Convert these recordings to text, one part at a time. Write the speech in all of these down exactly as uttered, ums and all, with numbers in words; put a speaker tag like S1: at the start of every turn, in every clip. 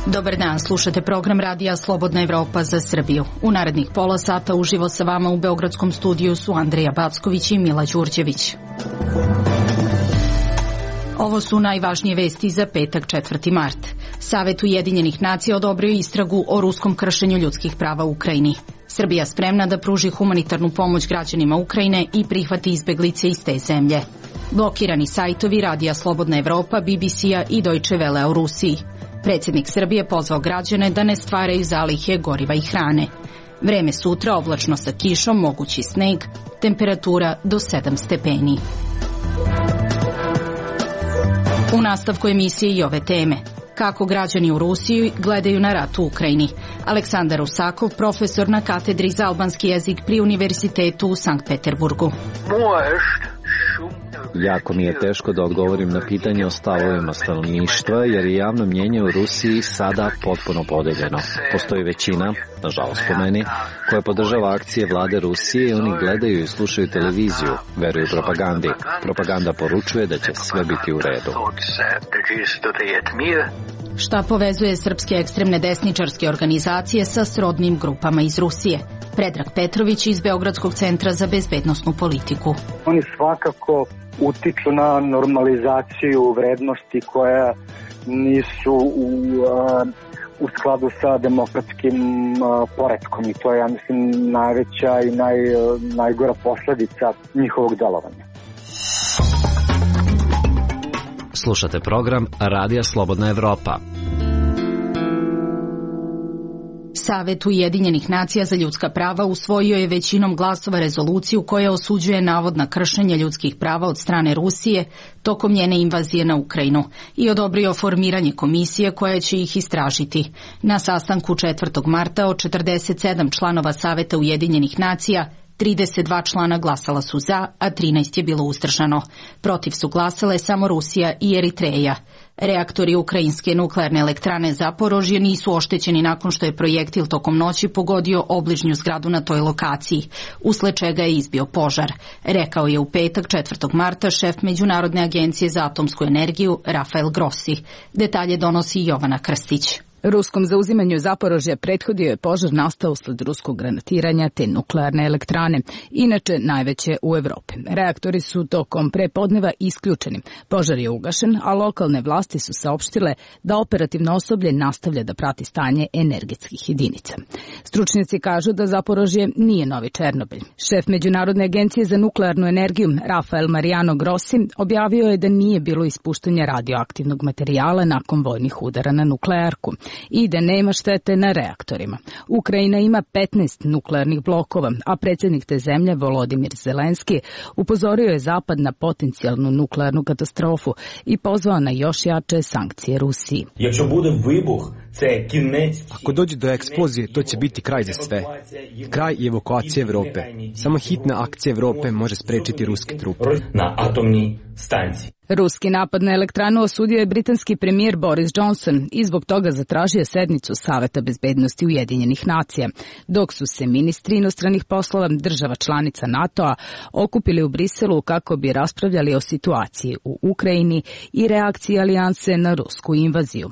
S1: Dobar dan, slušate program radija Slobodna Evropa za Srbiju. U narednih pola sata uživo sa vama u beogradskom studiju su Andreja Backović i Mila Đurđević. Ovo su najvažnije vesti za petak četvrti mart. Savet Ujedinjenih nacija odobrio istragu o ruskom kršenju ljudskih prava u Ukrajini. Srbija spremna da pruži humanitarnu pomoć građanima Ukrajine i prihvati izbeglice iz te zemlje. Blokirani sajtovi Radija Slobodna Evropa, B B C-a i Deutsche Welle u Rusiji. Predsjednik Srbije pozvao građane da ne stvaraju zalihe goriva i hrane. Vreme sutra oblačno sa kišom, mogući sneg, temperatura do sedam stepeni. U nastavku emisije i ove teme. Kako građani u Rusiji gledaju na rat u Ukrajini. Aleksandar Rusakov, profesor na katedri za albanski jezik pri Univerzitetu u Sankt Peterburgu.
S2: Jako mi je teško da odgovorim na pitanje o stavovima stanovništva, jer je javno mnjenje u Rusiji sada potpuno podeljeno. Postoji većina, nažalost po meni, koja podržava akcije vlade Rusije i oni gledaju i slušaju televiziju, veruju propagandi. Propaganda poručuje da će sve biti u redu.
S1: Šta povezuje srpske ekstremne desničarske organizacije sa srodnim grupama iz Rusije? Predrag Petrović iz Beogradskog centra za bezbednosnu politiku.
S3: Oni svakako utiču na normalizaciju vrednosti koja nisu u, u skladu sa demokratskim poretkom i to je, ja mislim, najveća i naj, najgora posledica njihovog delovanja.
S4: Slušate program Radija Slobodna Evropa.
S1: Savet Ujedinjenih nacija za ljudska prava usvojio je većinom glasova rezoluciju koja osuđuje navodna kršenja ljudskih prava od strane Rusije tokom njene invazije na Ukrajinu i odobrio formiranje komisije koja će ih istražiti. Na sastanku četvrtog marta od četrdeset sedam članova Saveta Ujedinjenih nacija, trideset dva člana glasala su za, a trinaest je bilo uzdržano. Protiv su glasale samo Rusija i Eritreja. Reaktori ukrajinske nuklearne elektrane Zaporožje nisu oštećeni nakon što je projektil tokom noći pogodio obližnju zgradu na toj lokaciji, usled čega je izbio požar, rekao je u petak četvrtog marta šef Međunarodne agencije za atomsku energiju Rafael Grossi. Detalje donosi Jovana Krstić.
S5: Ruskom zauzimanju Zaporožja prethodio je požar nastao usled ruskog granatiranja te nuklearne elektrane, inače najveće u Evropi. Reaktori su tokom prepodneva isključeni. Požar je ugašen, a lokalne vlasti su saopštile da operativno osoblje nastavlja da prati stanje energetskih jedinica. Stručnjaci kažu da Zaporožje nije novi Černobilj. Šef Međunarodne agencije za nuklearnu energiju Rafael Mariano Grossi objavio je da nije bilo ispuštanja radioaktivnog materijala nakon vojnih udara na nuklearku i da nema štete na reaktorima. Ukrajina ima petnaest nuklearnih blokova, a predsjednik te zemlje Volodimir Zelenski upozorio je Zapad na potencijalnu nuklearnu katastrofu i pozvao na još jače sankcije Rusiji.
S6: Ako dođe do eksplozije, to će biti kraj za sve. Kraj i evakuacije Evrope. Samo hitna akcija Evrope može sprečiti ruske trupe.
S7: Na atomni stanci.
S5: Ruski napad na elektranu osudio je britanski premijer Boris Johnson i zbog toga zatražio sednicu Saveta bezbednosti Ujedinjenih nacija, dok su se ministri inostranih poslova država članica NATO-a okupili u Briselu kako bi raspravljali o situaciji u Ukrajini i reakciji alijanse na rusku invaziju.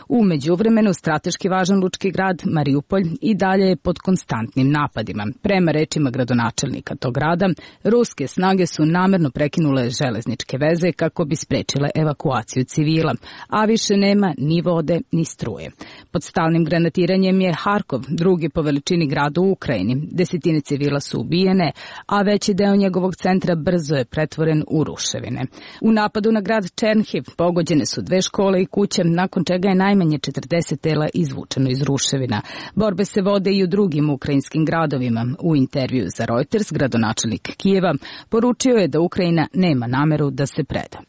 S5: U međuvremenu strateški važan lučki grad Mariupolj i dalje je pod konstantnim napadima. Prema rečima gradonačelnika tog grada, ruske snage su namerno prekinule železničke veze kako bi sprečile evakuaciju civila, a više nema ni vode ni struje. Pod stalnim granatiranjem je Harkov, drugi po veličini grad u Ukrajini. Desetine civila su ubijene, a veći deo njegovog centra brzo je pretvoren u ruševine. U napadu na grad Černhiv pogođene su dve škole i kuće, nakon čega je najmanje četrdeset tela izvučeno iz ruševina. Borbe se vode i u drugim ukrajinskim gradovima. U intervju za Reuters gradonačelnik Kijeva poručio je da Ukrajina nema nameru da se preda.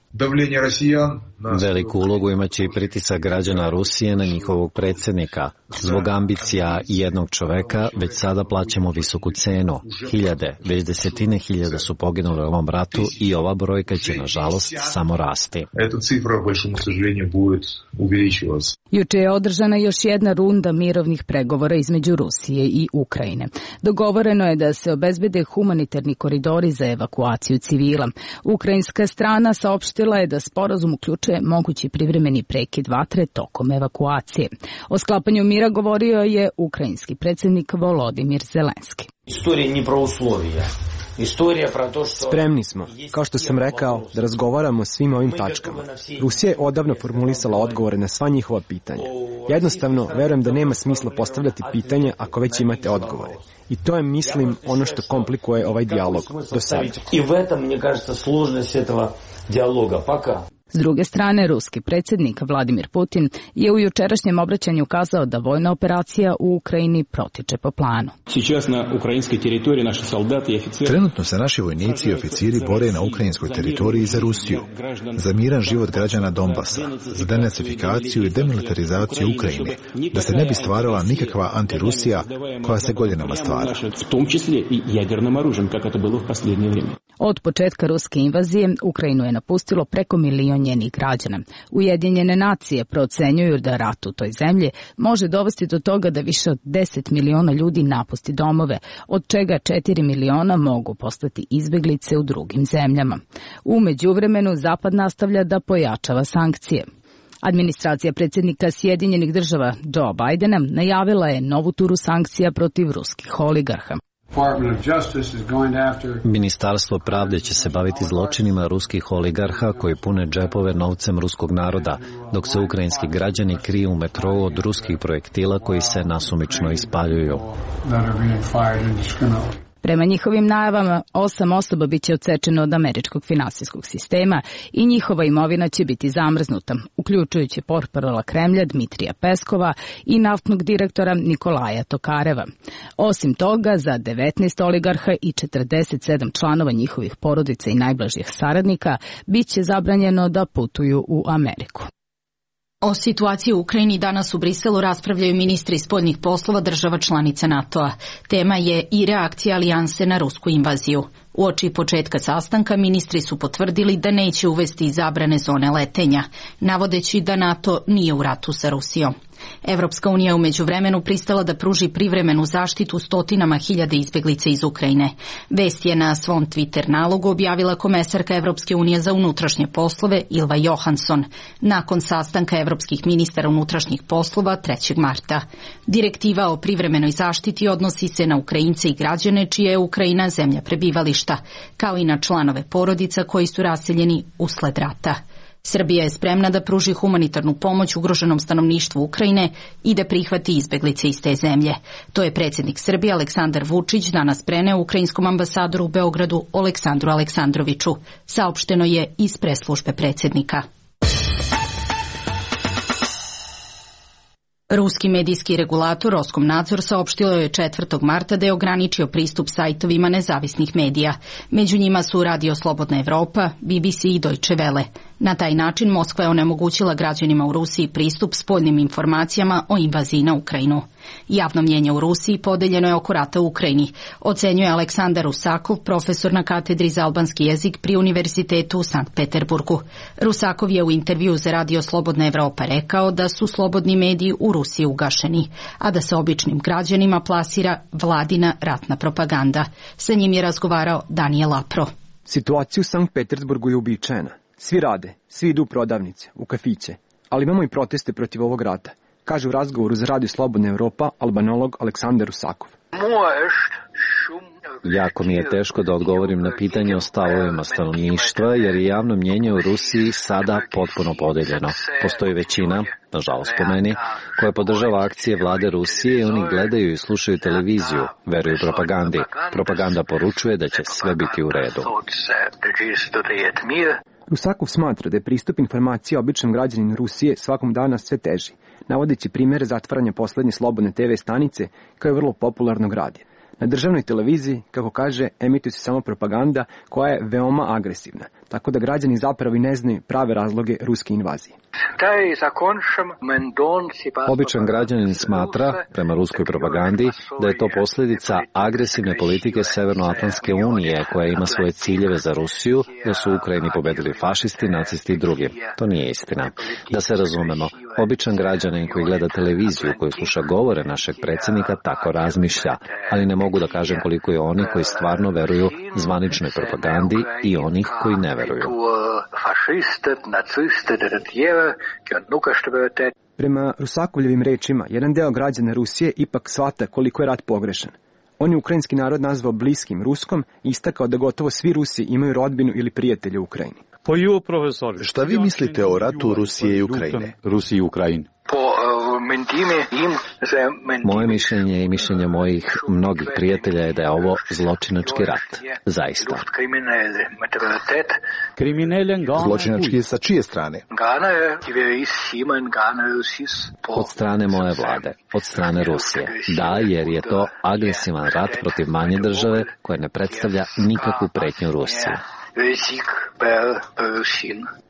S2: Veliku ulogu imaće i pritisak građana Rusije na njihovog predsjednika. Zbog ambicija jednog čoveka već sada plaćamo visoku cenu. Hiljade, već desetine hiljada su poginule u ovom ratu i ova brojka će, nažalost, samo rasti.
S5: Juče je održana još jedna runda mirovnih pregovora između Rusije i Ukrajine. Dogovoreno je da se obezbede humanitarni koridori za evakuaciju civila. Ukrajinska strana saopštila je da sporazum uključuje mogući privremeni prekid vatre tokom evakuacije. O sklapanju mira govorio je ukrajinski predsjednik Volodimir Zelenski.
S8: Istorija nije pro uslovija.
S6: Spremni smo, kao što sam rekao, da razgovaramo o svim ovim tačkama. Rusija je odavno formulisala odgovore na sva njihova pitanja. Jednostavno, verujem da nema smisla postavljati pitanja ako već imate odgovore. I to je, mislim, ono što komplikuje ovaj dijalog do sada.
S8: I u этом, мне кажется, сложность этого диалога пока.
S5: S druge strane, ruski predsjednik Vladimir Putin je u jučerašnjem obraćanju kazao da vojna operacija u Ukrajini protiče po planu.
S9: Trenutno se naši vojnici i oficiri bore na ukrajinskoj teritoriji za Rusiju, za miran život građana Donbasa, za denacifikaciju i demilitarizaciju Ukrajine, da se ne bi stvarala nikakva antirusija koja se godinama stvara.
S5: Od početka ruske invazije Ukrajinu je napustilo preko milion njenih građana. Ujedinjene nacije procenjuju da rat u toj zemlji može dovesti do toga da više od deset miliona ljudi napusti domove, od čega četiri miliona mogu postati izbeglice u drugim zemljama. U međuvremenu Zapad nastavlja da pojačava sankcije. Administracija predsjednika Sjedinjenih država Joe Bidena najavila je novu turu sankcija protiv ruskih oligarha.
S2: Ministarstvo pravde će se baviti zločinima ruskih oligarha koji pune džepove novcem ruskog naroda, dok se ukrajinski građani kriju u metrou od ruskih projektila koji se nasumično ispaljuju.
S5: Prema njihovim najavama, osam osoba biće odsečeno od američkog finansijskog sistema i njihova imovina će biti zamrznuta, uključujući portparola Kremlja Dmitrija Peskova i naftnog direktora Nikolaja Tokareva. Osim toga, za devetnaest oligarha i četrdeset sedam članova njihovih porodica i najbližih saradnika biće zabranjeno da putuju u Ameriku.
S1: O situaciji u Ukrajini danas u Briselu raspravljaju ministri spoljnih poslova država članica NATO-a. Tema je i reakcija alijanse na rusku invaziju. Uoči početka sastanka ministri su potvrdili da neće uvesti zabrane zone letenja, navodeći da NATO nije u ratu sa Rusijom. Evropska unija je u međuvremenu pristala da pruži privremenu zaštitu stotinama hiljada izbeglica iz Ukrajine. Vest je na svom Twitter nalogu objavila komesarka Evropske unije za unutrašnje poslove Ylva Johansson nakon sastanka evropskih ministara unutrašnjih poslova trećeg marta. Direktiva o privremenoj zaštiti odnosi se na Ukrajince i građane čija je Ukrajina zemlja prebivališta, kao i na članove porodica koji su raseljeni usled rata. Srbija je spremna da pruži humanitarnu pomoć ugroženom stanovništvu Ukrajine i da prihvati izbeglice iz te zemlje. To je predsjednik Srbije Aleksandar Vučić danas preneo ukrajinskom ambasadoru u Beogradu Aleksandru Aleksandroviću. Saopšteno je iz press-službe predsjednika. Ruski medijski regulator Roskomnadzor saopštilo je četvrtog marta da je ograničio pristup sajtovima nezavisnih medija. Među njima su Radio Slobodna Evropa, B B C i Deutsche Welle. Na taj način Moskva je onemogućila građanima u Rusiji pristup spoljnim informacijama o invaziji na Ukrajinu. Javno mnjenje u Rusiji podeljeno je oko rata u Ukrajini, ocenjuje Aleksandar Rusakov, profesor na katedri za albanski jezik pri Univerzitetu u Sankt Peterburgu. Rusakov je u intervju za Radio Slobodna Evropa rekao da su slobodni mediji u Rusiji ugašeni, a da se običnim građanima plasira vladina ratna propaganda. Sa njim je razgovarao Daniel Lapro.
S6: Situacija u Sankt Peterburgu je uobičajena. Svi rade, svi idu u prodavnice, u kafiće, ali imamo i proteste protiv ovog rata, kaže u razgovoru za Radio Slobodna Evropa albanolog Aleksandar Rusakov.
S2: Jako mi je teško da odgovorim na pitanje o stavovima stanovništva, jer je javno mnjenje u Rusiji sada potpuno podeljeno. Postoji većina, nažalost po meni, koja podržava akcije vlade Rusije i oni gledaju i slušaju televiziju, veruju propagandi. Propaganda poručuje da će sve biti u redu.
S6: Rusakov smatra da je pristup informacija običnom građaninu Rusije svakom dana sve teži, navodeći primjere zatvaranja poslednje slobodne te ve stanice kao je vrlo popularnog radija. Na državnoj televiziji, kako kaže, emituje se samo propaganda koja je veoma agresivna, tako da građani zapravo i ne znaju prave razloge ruske invazije.
S2: Običan građanin smatra, prema ruskoj propagandi, da je to posljedica agresivne politike Severnoatlantske unije koja ima svoje ciljeve za Rusiju, da su u Ukrajini pobedili fašisti, nacisti i drugi. To nije istina. Da se razumemo, običan građanin koji gleda televiziju, koji sluša govore našeg predsjednika, tako razmišlja, ali ne mogu da kažem koliko je oni koji stvarno veruju zvaničnoj propagandi i onih koji ne veruju.
S6: Prema Rusakovljevim rečima, jedan deo građana Rusije ipak shvata koliko je rat pogrešan. On je ukrajinski narod nazvao bliskim Ruskom i istakao da gotovo svi Rusi imaju rodbinu ili prijatelje u Ukrajini.
S9: Šta vi mislite o ratu Rusije i Ukrajine?
S10: Rusiji i Ukrajini.
S2: Moje mišljenje i mišljenje mojih mnogih prijatelja je da je ovo zločinački rat. Zaista.
S9: Zločinački je sa čije strane?
S2: Od strane moje vlade, od strane Rusije. Da, jer je to agresivan rat protiv manje države koja ne predstavlja nikakvu pretnju Rusiji.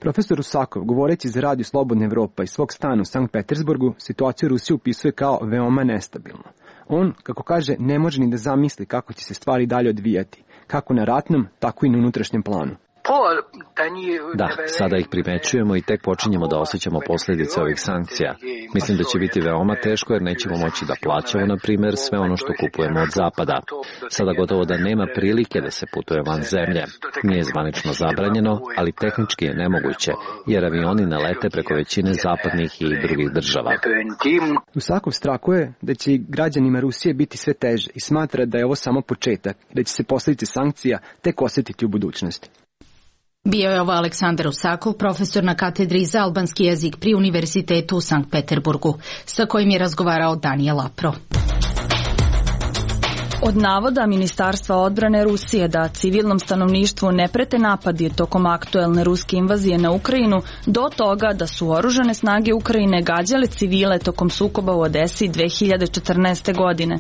S6: Profesor Rusakov, govoreći za Radio Slobodna Evropa iz svog stana u Sankt Petersburgu, situaciju Rusije upisuje kao veoma nestabilnu. On, kako kaže, ne može ni da zamisli kako će se stvari dalje odvijati, kako na ratnom, tako i na unutrašnjem planu.
S2: Da, sada ih primećujemo i tek počinjemo da osjećamo posljedice ovih sankcija. Mislim da će biti veoma teško jer nećemo moći da plaćamo, na primjer, sve ono što kupujemo od zapada. Sada gotovo da nema prilike da se putuje van zemlje. Nije zvanično zabranjeno, ali tehnički je nemoguće, jer avioni ne lete preko većine zapadnih i drugih država.
S6: Rusakov strahuje da će i građanima Rusije biti sve teže i smatra da je ovo samo početak i da će se posljedice sankcija tek osjetiti u budućnosti.
S1: Bio je ovo Aleksandar Rusakov, profesor na katedri za albanski jezik pri Univerzitetu u Sankt Peterburgu, sa kojim je razgovarao Daniel Apro.
S11: Od navoda Ministarstva odbrane Rusije da civilnom stanovništvu ne prete napadi tokom aktuelne ruske invazije na Ukrajinu do toga da su oružane snage Ukrajine gađale civile tokom sukoba u Odesi dve hiljade četrnaeste. godine.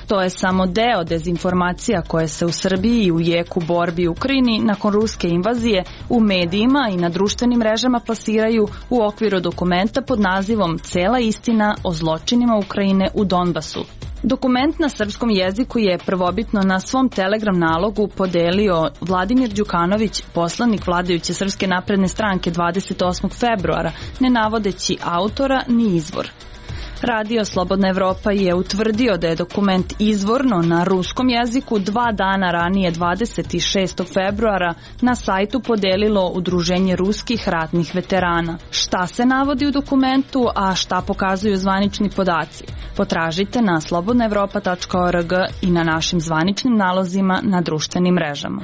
S11: To je samo deo dezinformacija koje se u Srbiji i u jeku borbi u Ukrajini nakon ruske invazije u medijima i na društvenim mrežama plasiraju u okviru dokumenta pod nazivom Cela istina o zločinima Ukrajine u Donbasu. Dokument na srpskom jeziku je prvobitno na svom Telegram nalogu podelio Vladimir Đukanović, poslanik vladajuće Srpske napredne stranke dvadeset osmog februara, ne navodeći autora ni izvor. Radio Slobodna Evropa je utvrdio da je dokument izvorno na ruskom jeziku dva dana ranije dvadeset šestog februara na sajtu podelilo Udruženje ruskih ratnih veterana. Šta se navodi u dokumentu, a šta pokazuju zvanični podaci? Potražite na slobodna evropa tačka org i na našim zvaničnim nalozima na društvenim mrežama.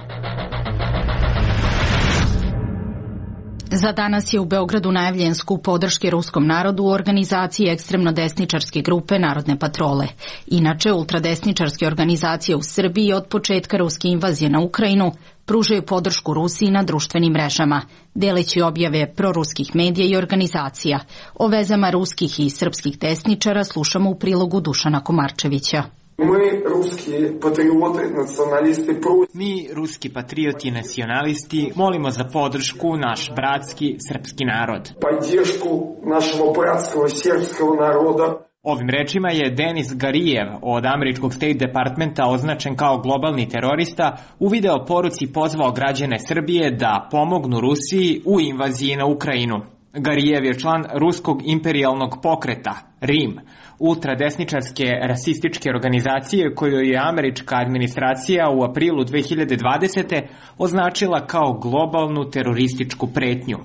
S1: Za danas je u Beogradu najavljen skup podrške ruskom narodu u organizaciji ekstremno desničarske grupe Narodne patrole. Inače, ultradesničarske organizacije u Srbiji od početka ruske invazije na Ukrajinu pružaju podršku Rusiji na društvenim mrežama, deleći objave proruskih medija i organizacija. O vezama ruskih i srpskih desničara slušamo u prilogu Dušana Komarčevića.
S12: Mi, ruski patrioti, nacionalisti,
S13: Mi, ruski patrioti i nacionalisti, molimo za podršku naš bratski srpski narod.
S12: Podršku našeg bratskog srpskog naroda.
S13: Ovim rečima je Denis Garijev od američkog State Departmenta označen kao globalni terorista u video poruci pozvao građane Srbije da pomognu Rusiji u invaziji na Ukrajinu. Garijev je član ruskog imperijalnog pokreta, RIM, ultradesničarske rasističke organizacije koju je američka administracija u aprilu dve hiljade dvadesete. označila kao globalnu terorističku pretnju.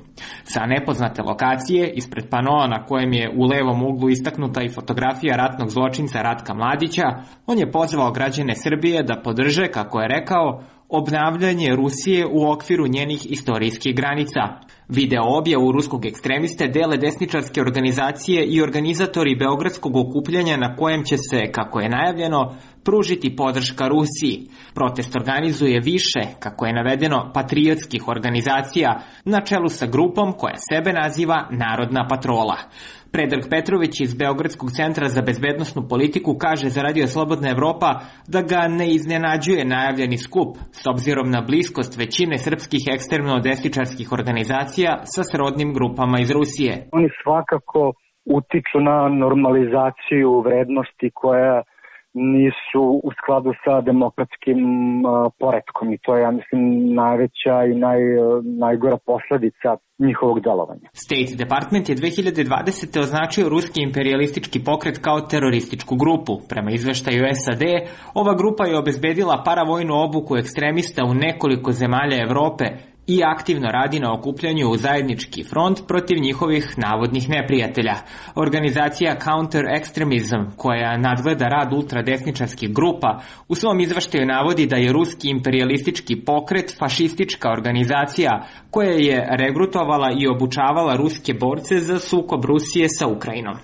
S13: Sa nepoznate lokacije, ispred panoa na kojem je u levom uglu istaknuta i fotografija ratnog zločinca Ratka Mladića, on je pozvao građane Srbije da podrže, kako je rekao, obnavljanje Rusije u okviru njenih istorijskih granica. Video objavu ruskog ekstremiste dele desničarske organizacije i organizatori beogradskog okupljanja na kojem će se, kako je najavljeno, pružiti podrška Rusiji. Protest organizuje više, kako je navedeno, patriotskih organizacija na čelu sa grupom koja sebe naziva Narodna patrola. Predrag Petrović iz Beogradskog centra za bezbednosnu politiku kaže za Radio Slobodna Evropa da ga ne iznenađuje najavljeni skup s obzirom na bliskost većine srpskih ekstremno-desničarskih organizacija sa srodnim grupama iz Rusije.
S3: Oni svakako utiču na normalizaciju vrednosti koja nisu u skladu sa demokratskim uh, poretkom i to je, ja mislim, najveća i naj, najgora posledica njihovog delovanja.
S13: State Department je dve hiljade dvadesete označio ruski imperialistički pokret kao terorističku grupu. Prema izveštaju S A D, ova grupa je obezbedila paravojnu obuku ekstremista u nekoliko zemalja Evrope i aktivno radi na okupljanju u zajednički front protiv njihovih navodnih neprijatelja. Organizacija Counter Extremism, koja nadgleda rad ultradesničarskih grupa, u svom izveštaju navodi da je ruski imperialistički pokret fašistička organizacija koja je regrutovala i obučavala ruske borce za sukob Rusije sa Ukrajinom.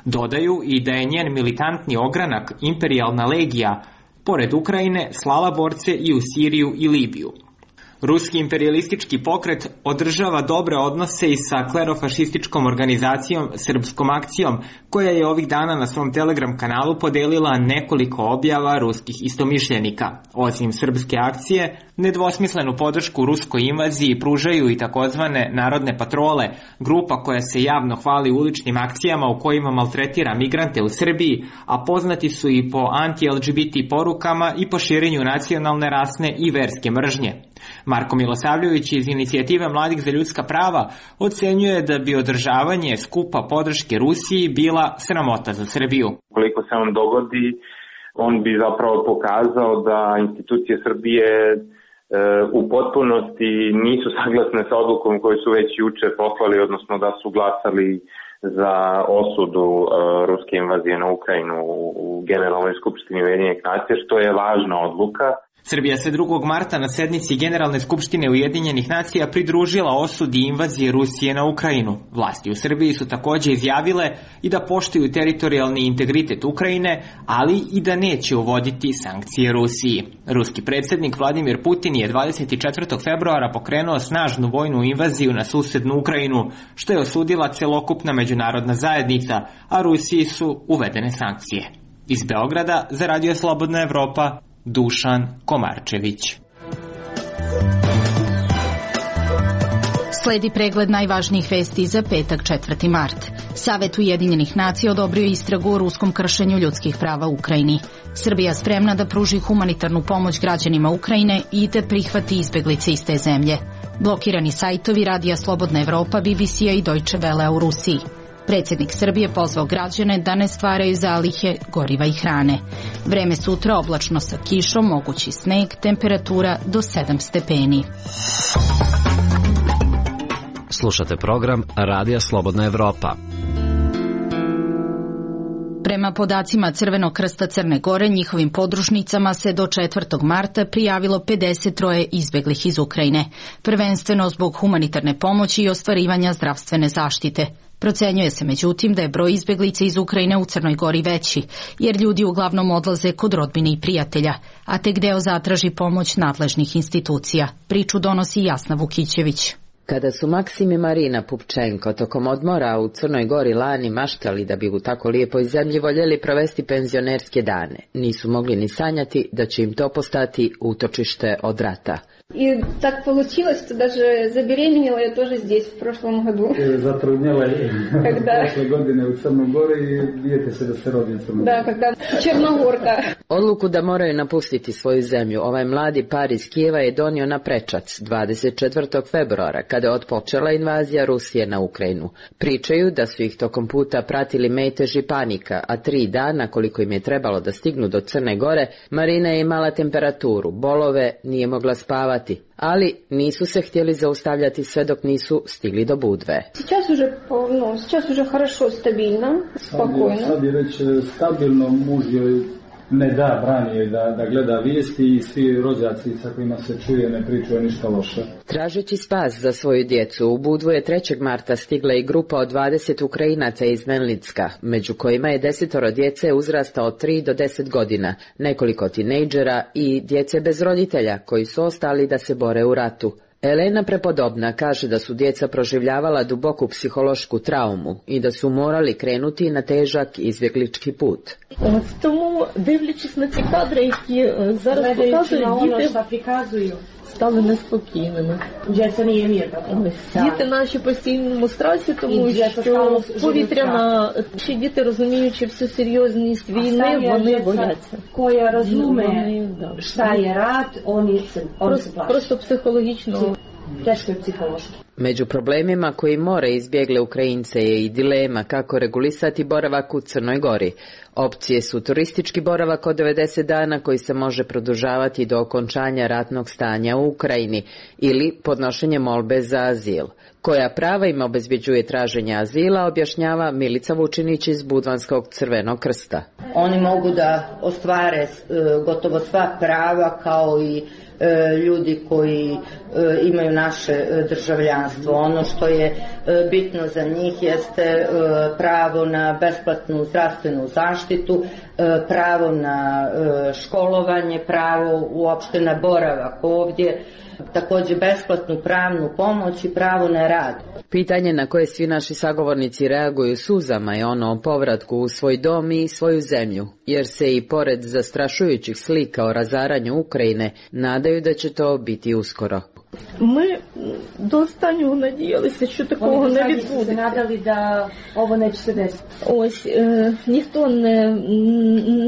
S13: Dodaju i da je njen militantni ogranak Imperijalna legija, pored Ukrajine, slala borce i u Siriju i Libiju. Ruski imperialistički pokret održava dobre odnose i sa klerofašističkom organizacijom Srpskom akcijom, koja je ovih dana na svom Telegram kanalu podelila nekoliko objava ruskih istomišljenika. Osim Srpske akcije, nedvosmislenu podršku ruskoj invaziji pružaju i takozvane narodne patrole, grupa koja se javno hvali uličnim akcijama u kojima maltretira migrante u Srbiji, a poznati su i po anti-L G B T porukama i po širenju nacionalne, rasne i verske mržnje. Marko Milosavljević iz Inicijative mladih za ljudska prava ocenjuje da bi održavanje skupa podrške Rusiji bila sramota za Srbiju.
S10: Koliko se on dogodi, on bi zapravo pokazao da institucije Srbije e, u potpunosti nisu saglasne sa odlukom koju su već juče poslali, odnosno da su glasali za osudu e, ruske invazije na Ukrajinu u, u Generalnoj skupštini Ujedinjenih nacija, što je važna odluka.
S13: Srbija se drugog marta na sednici Generalne skupštine Ujedinjenih nacija pridružila osudi invazije Rusije na Ukrajinu. Vlasti u Srbiji su takođe izjavile i da poštuju teritorijalni integritet Ukrajine, ali i da neće uvoditi sankcije Rusiji. Ruski predsjednik Vladimir Putin je dvadeset četvrtog februara pokrenuo snažnu vojnu invaziju na susednu Ukrajinu, što je osudila celokupna međunarodna zajednica, a Rusiji su uvedene sankcije. Iz Beograda za Radio Slobodna Evropa, Dušan Komarčević.
S1: Sledi pregled najvažnijih vesti za petak četvrti mart. Savet Ujedinjenih nacija odobrio istragu o ruskom kršenju ljudskih prava u Ukrajini. Srbija spremna da pruži humanitarnu pomoć građanima Ukrajine i da prihvati izbeglice iz te zemlje. Blokirani sajtovi Radija Slobodna Evropa, B B C-a i Deutsche Welle u Rusiji. Predsjednik Srbije pozvao građane da ne stvaraju zalihe goriva i hrane. Vreme sutra oblačno sa kišom, mogući sneg, temperatura do sedam stepeni.
S4: Slušate program Radija Slobodna Evropa.
S1: Prema podacima Crvenog krsta Crne Gore, njihovim podružnicama se do četvrtog marta prijavilo pedeset troje izbeglih iz Ukrajine, prvenstveno zbog humanitarne pomoći i ostvarivanja zdravstvene zaštite. Procenjuje se međutim da je broj izbeglica iz Ukrajine u Crnoj Gori veći, jer ljudi uglavnom odlaze kod rodbine i prijatelja, a tek deo zatraži pomoć nadležnih institucija. Priču donosi Jasna Vukićević.
S14: Kada su Maksim i Marina Pupčenko tokom odmora u Crnoj Gori lani maštali da bi u tako lijepoj zemlji voljeli provesti penzionerske dane, nisu mogli ni sanjati da će im to postati utočište od rata.
S15: И так получилось, что даже забеременела я тоже здесь в прошлом году.
S16: Zatrudnjela je prošle godine u Crnoj Gori i dijete se da se rodi u Crnoj Gori.
S15: Da, когда Černogorka.
S14: Odluku da moraju napustiti svoju zemlju ovaj mladi par iz Kijeva je donio na prečac dvadeset četvrtog februara, kada je otpočela invazija Rusije na Ukrajinu. Pričaju da su ih tokom puta pratili metež i panika, a tri dana koliko im je trebalo da stignu do Crne Gore, Marina je imala temperaturu, bolove, nije mogla spavati. Ali nisu se htjeli zaustavljati sve dok nisu stigli do Budve.
S15: Сейчас уже, ну, сейчас уже хорошо, стабильно, спокойно.
S16: Sad je već stabilno, muž joj ne da, brani joj da, da gleda vijesti i svi rođaci sa kojima se čuje ne pričaju ništa loše.
S14: Tražeći spas za svoju djecu, u Budvu je trećeg marta stigla i grupa od dvadeset Ukrajinaca iz Menlicka, među kojima je desetoro djece uzrasta od tri do deset godina, nekoliko tinejdžera i djece bez roditelja koji su ostali da se bore u ratu. Elena Prepodobna kaže da su djeca proživljavala duboku psihološku traumu i da su morali krenuti na težak izbjeglički put.
S17: От тому, дивлячись на ці кадри, які зараз показують, діти стали неспокійними. Діти наші в постійному стресі, тому що повітряна, що діти, розуміючи всю серйозність війни, вони бояться.
S18: Koja razume šta je rat, oni se
S17: plaše. Просто психологічно.
S18: Teško je psihološki.
S14: Među problemima koji more izbjegle Ukrajince je i dilema kako regulisati boravak u Crnoj Gori. Opcije su turistički boravak od devedeset dana koji se može produžavati do okončanja ratnog stanja u Ukrajini ili podnošenje molbe za azil. Koja prava im obezbjeđuje traženje azila, objašnjava Milica Vučinić iz Budvanskog Crvenog krsta.
S18: Oni mogu da ostvare gotovo sva prava kao i ljudi koji imaju naše državljanstvo. Ono što je bitno za njih jeste pravo na besplatnu zdravstvenu zaštitu, pravo na školovanje, pravo uopšte na boravak ovdje, također besplatnu pravnu pomoć i pravo na rad.
S14: Pitanje na koje svi naši sagovornici reaguju suzama je ono o povratku u svoj dom i svoju zemlju, jer se i pored zastrašujućih slika o razaranju Ukrajine nadaju da će to biti uskoro.
S17: Ми до останнього надіялися, що такого не відбудеться.
S18: Вони надали, да ovo neće se desiti.
S17: Ось, е, ніхто не,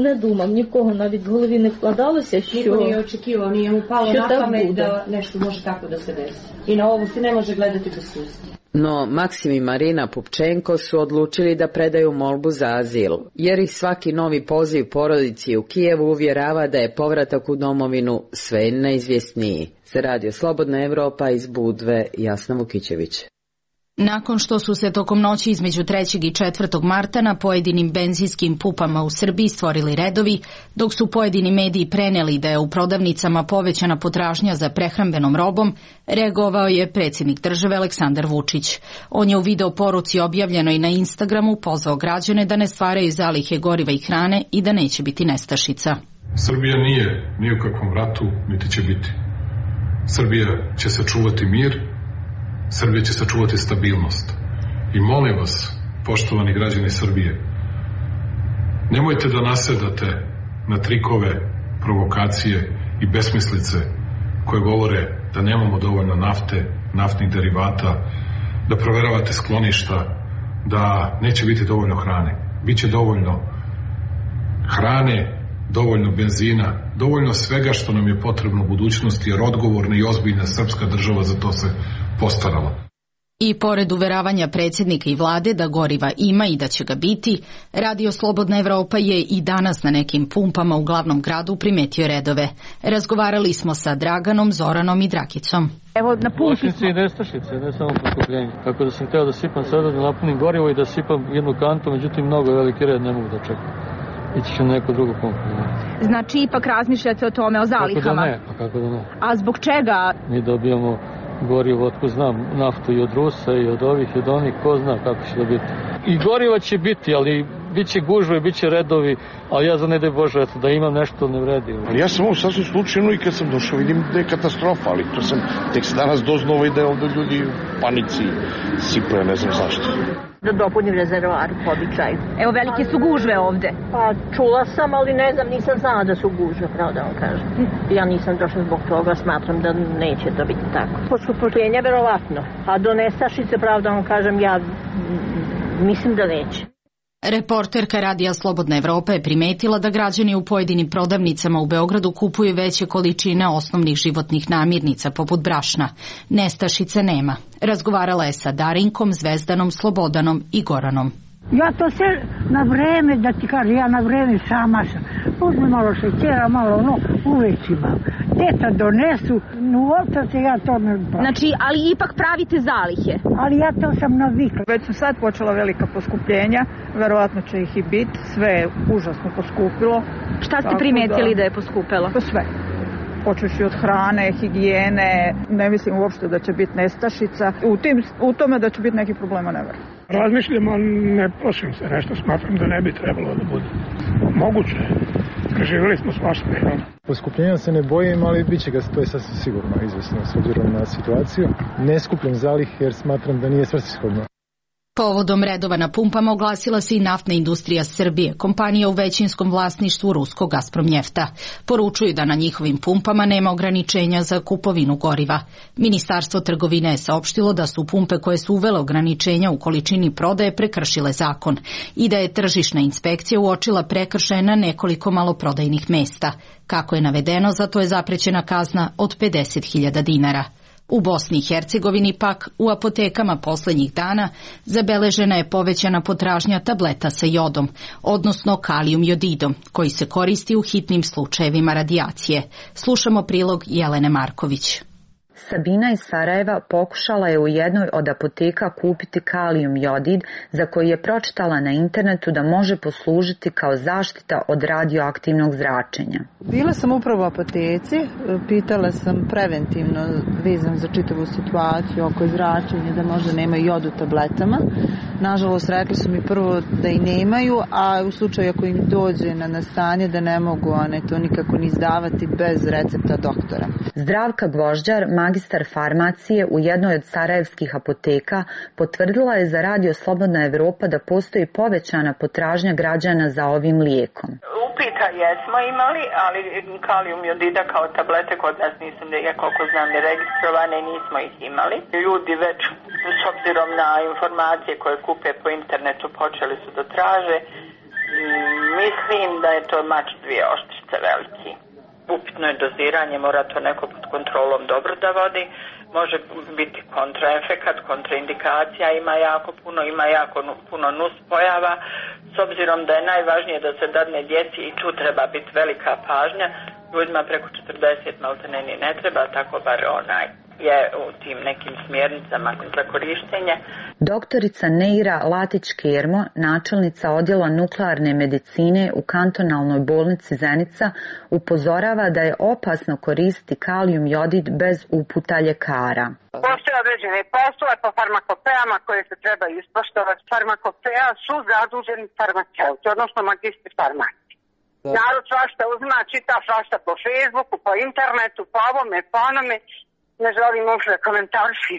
S17: не думав, ні в кого навіть в голові не вкладалося, що,
S18: Niko nije očekivao, nije mu palo na pamet da nešto može tako da se desi. I na ovo se ne može gledati bez susti.
S14: No Maksim i Marina Pupčenko su odlučili da predaju molbu za azil, jer ih svaki novi poziv porodici u Kijevu uvjerava da je povratak u domovinu sve neizvjesniji. Za Radio Slobodna Evropa iz Budve, Jasna Vukićević.
S1: Nakon što su se tokom noći između trećeg i četvrtog marta na pojedinim benzinskim pupama u Srbiji stvorili redovi, dok su pojedini mediji preneli da je u prodavnicama povećana potražnja za prehrambenom robom, reagovao je predsjednik države Aleksandar Vučić. On je u video poruci objavljenoj na Instagramu pozvao građane da ne stvaraju zalihe goriva i hrane i da neće biti nestašica.
S19: Srbija nije ni u kakvom ratu, niti će biti. Srbija će sačuvati mir, Srbija će sačuvati stabilnost. I molim vas, poštovani građani Srbije, nemojte da nasedate na trikove, provokacije i besmislice koje govore da nemamo dovoljno nafte, naftnih derivata, da proveravate skloništa, da neće biti dovoljno hrane. Biće dovoljno hrane, dovoljno benzina, dovoljno svega što nam je potrebno u budućnosti, jer odgovorna i ozbiljna srpska država za to se postarala.
S1: I pored uveravanja predsjednika i vlade da goriva ima i da će ga biti, Radio Slobodna Evropa je i danas na nekim pumpama u glavnom gradu primetio redove. Razgovarali smo sa Draganom, Zoranom i Drakicom.
S20: Evo, na pumpi smo. I nestašice, ne samo poskupljenje. Tako da sam htio da sipam sada, da napunim gorivo i da sipam jednu kantu, međutim mnogo veliki red ne mogu da čekam. Ići ću na neku drugu pumpu.
S21: Znači, ipak razmišljate o tome, o zalihama?
S20: Kako da ne, pa kako da ne.
S21: A zbog čega?
S20: Mi dobijamo gorivo, otko znam, naftu i od Rusa i od ovih i od onih, ko zna kako će da biti. I goriva će biti, ali bit će gužve, bit će redovi, ali ja za ne daj Bože, eto, da imam nešto ne vredi.
S22: Ja sam ovo sasvim slučajno i kad sam došao vidim da je katastrofa, ali to sam tek se danas doznao i da je ovdje ljudi u panici sipaju, ne znam zašto.
S21: Da dopunim rezervoar po običaju. Evo, velike su gužve ovde.
S23: Pa čula sam, ali ne znam, nisam znala da su gužve, pravo da vam kažem. Ja nisam došla zbog toga, smatram da neće to biti tako. Poskupljenja verovatno, a do nestašice, pravo da vam kažem, ja mislim da neće.
S1: Reporterka Radija Slobodna Evropa je primetila da građani u pojedinim prodavnicama u Beogradu kupuju veće količine osnovnih životnih namirnica poput brašna. Nestašice nema. Razgovarala je sa Darinkom, Zvezdanom, Slobodanom i Goranom.
S24: Ja to sve na vreme, da ti kažem, ja na vreme sama sam. Uzmi malo šećera, malo ono, uveć imam. Teta donesu, uopće se ja to ne pravim.
S21: Znači, ali ipak pravite zalihe?
S24: Ali ja to sam navikla.
S25: Već su sad počela velika poskupljenja, verovatno će ih i biti, sve je užasno poskupilo.
S21: Šta ste primetili da, da je poskupilo?
S25: Pa sve. Počeši od hrane, higijene, ne mislim uopšte da će biti nestašica. U, tim, u tome da će biti neki problema ne verujem.
S26: Razmišljam, ali ne plašim se, nešto smatram da ne bi trebalo da bude. Moguće je.
S2: preživjeli smo svašta.
S5: Poskupljenja se ne bojim, ali bit će ga, to je sasvim sigurno izvesno s obzirom na situaciju. Ne skupljam zalih jer smatram da nije svrsishodno.
S1: Povodom redova na pumpama oglasila se i Naftna industrija Srbije, kompanija u većinskom vlasništvu ruskog Gazpromnjefta. Poručuju da na njihovim pumpama nema ograničenja za kupovinu goriva. Ministarstvo trgovine je saopštilo da su pumpe koje su uvele ograničenja u količini prodaje prekršile zakon i da je tržišna inspekcija uočila prekršaje na nekoliko maloprodajnih mesta. Kako je navedeno, za to je zaprećena kazna od pedeset hiljada dinara. U Bosni i Hercegovini pak u apotekama poslednjih dana zabeležena je povećana potražnja tableta sa jodom, odnosno kalijum jodidom, koji se koristi u hitnim slučajevima radijacije. Slušamo prilog Jelene Marković.
S7: Sabina iz Sarajeva pokušala je u jednoj od apoteka kupiti kalijum jodid, za koji je pročitala na internetu da može poslužiti kao zaštita od radioaktivnog zračenja.
S8: Bila sam upravo u apoteci, pitala sam preventivno vezano za čitavu situaciju oko zračenja da možda nema jod u tabletama. Nažalost, rekli su mi prvo da i nemaju, a u slučaju ako im dođe na nastanje da ne mogu one to nikako ni izdavati bez recepta doktora.
S7: Zdravka Gvožđar, magistar farmacije u jednoj od sarajevskih apoteka, potvrdila je za Radio Slobodna Evropa da postoji povećana potražnja građana za ovim lijekom.
S9: Upita jesmo imali, ali kalijum jodida kao tablete kod nas nisu, ja koliko znam, ne registrovane, nismo ih imali. Ljudi već s obzirom na informacije koje kupe po internetu počeli su da traže. Mislim da je to mač dvije oštrice veliki. Upitno je doziranje, mora to neko pod kontrolom dobro da vodi, može biti kontraefekat, kontraindikacija, ima jako puno, ima jako puno nus pojava, s obzirom da je najvažnije da se dadne djeci i tu treba biti velika pažnja, ljudima preko četrdeset maltene ni ne treba, tako bar onaj je u tim nekim smjernicama za korištenje.
S7: Doktorica Neira Latić-Kermo, načelnica odjela nuklearne medicine u kantonalnoj bolnici Zenica, upozorava da je opasno koristiti kalijum jodid bez uputa ljekara.
S26: Postoje određene poslove po farmakopeama koje se treba ispoštovati. Farmakopea su zaduženi farmaceuti, odnosno magistri farmacije. Narod svašta uzima, čita svašta po Facebooku, po internetu, po ovome, po onome. Ne želim uopšte komentarši.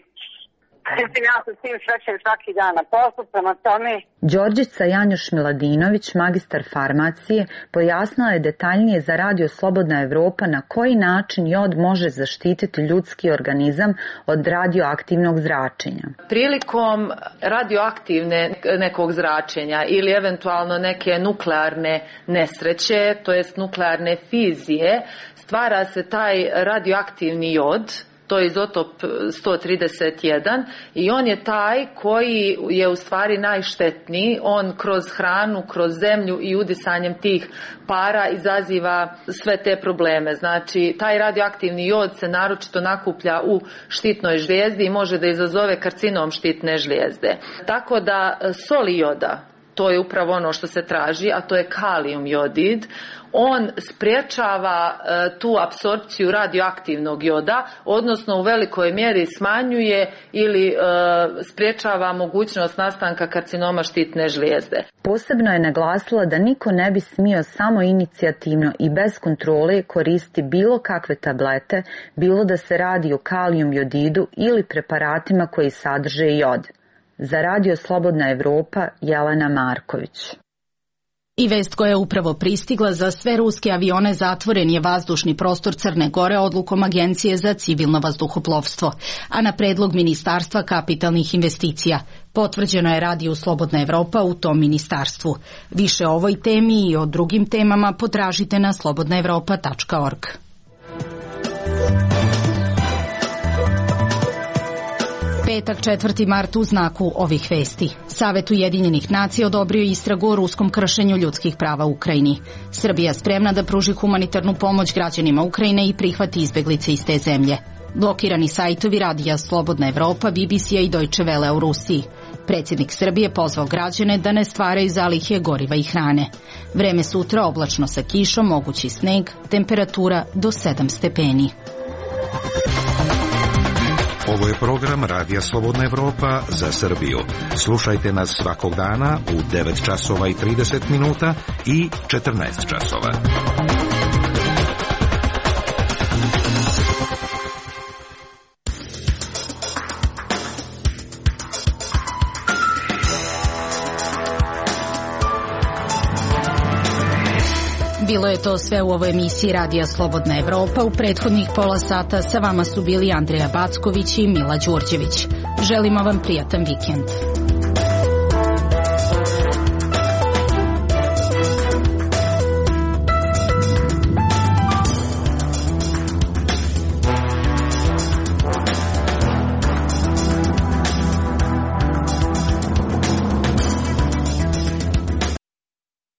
S26: Ja se s tim srećem svaki dan na poslu, prema tome.
S7: Đorđica Janjuš-Miladinović, magistar farmacije, pojasnila je detaljnije za Radio Slobodna Evropa na koji način jod može zaštititi ljudski organizam od radioaktivnog zračenja.
S27: Prilikom radioaktivne nekog zračenja ili eventualno neke nuklearne nesreće, to jest nuklearne fizije, stvara se taj radioaktivni jod, to je izotop sto trideset jedan i on je taj koji je u stvari najštetniji. On kroz hranu, kroz zemlju i udisanjem tih para izaziva sve te probleme. Znači, taj radioaktivni jod se naročito nakuplja u štitnoj žlijezdi i može da izazove karcinom štitne žlijezde. Tako da soli joda, to je upravo ono što se traži, a to je kalijum jodid. On spriječava e, tu apsorpciju radioaktivnog joda, odnosno u velikoj mjeri smanjuje ili e, spriječava mogućnost nastanka karcinoma štitne žlijezde.
S7: Posebno je naglasila da niko ne bi smio samo inicijativno i bez kontrole koristiti bilo kakve tablete, bilo da se radi o kalijum jodidu ili preparatima koji sadrže jod. Za Radio Slobodna Evropa, Jelena Marković.
S1: I vest koja je upravo pristigla: za sve ruske avione zatvoren je vazdušni prostor Crne Gore odlukom Agencije za civilno vazduhoplovstvo, a na predlog Ministarstva kapitalnih investicija. Potvrđeno je Radio Slobodna Evropa u tom ministarstvu. Više o ovoj temi i o drugim temama potražite na slobodna evropa tačka org. Petak četvrti mart u znaku ovih vesti. Savet Ujedinjenih nacija odobrio istragu o ruskom kršenju ljudskih prava u Ukrajini. Srbija spremna da pruži humanitarnu pomoć građanima Ukrajine i prihvati izbeglice iz te zemlje. Blokirani sajtovi Radija Slobodna Evropa, B B C-a i Deutsche Welle u Rusiji. Predsjednik Srbije pozvao građane da ne stvaraju zalihe goriva i hrane. Vreme sutra oblačno sa kišom, mogući sneg, temperatura do sedam stepeni.
S28: Ovo je program Radija Slobodna Evropa za Srbiju. Slušajte nas svakog dana u devet časova i trideset minuta i četrnaest časova.
S1: Bilo je to sve u ovoj emisiji Radija Slobodna Evropa. U prethodnih pola sata sa vama su bili Andreja Backović i Mila Đurđević. Želimo vam prijatan vikend.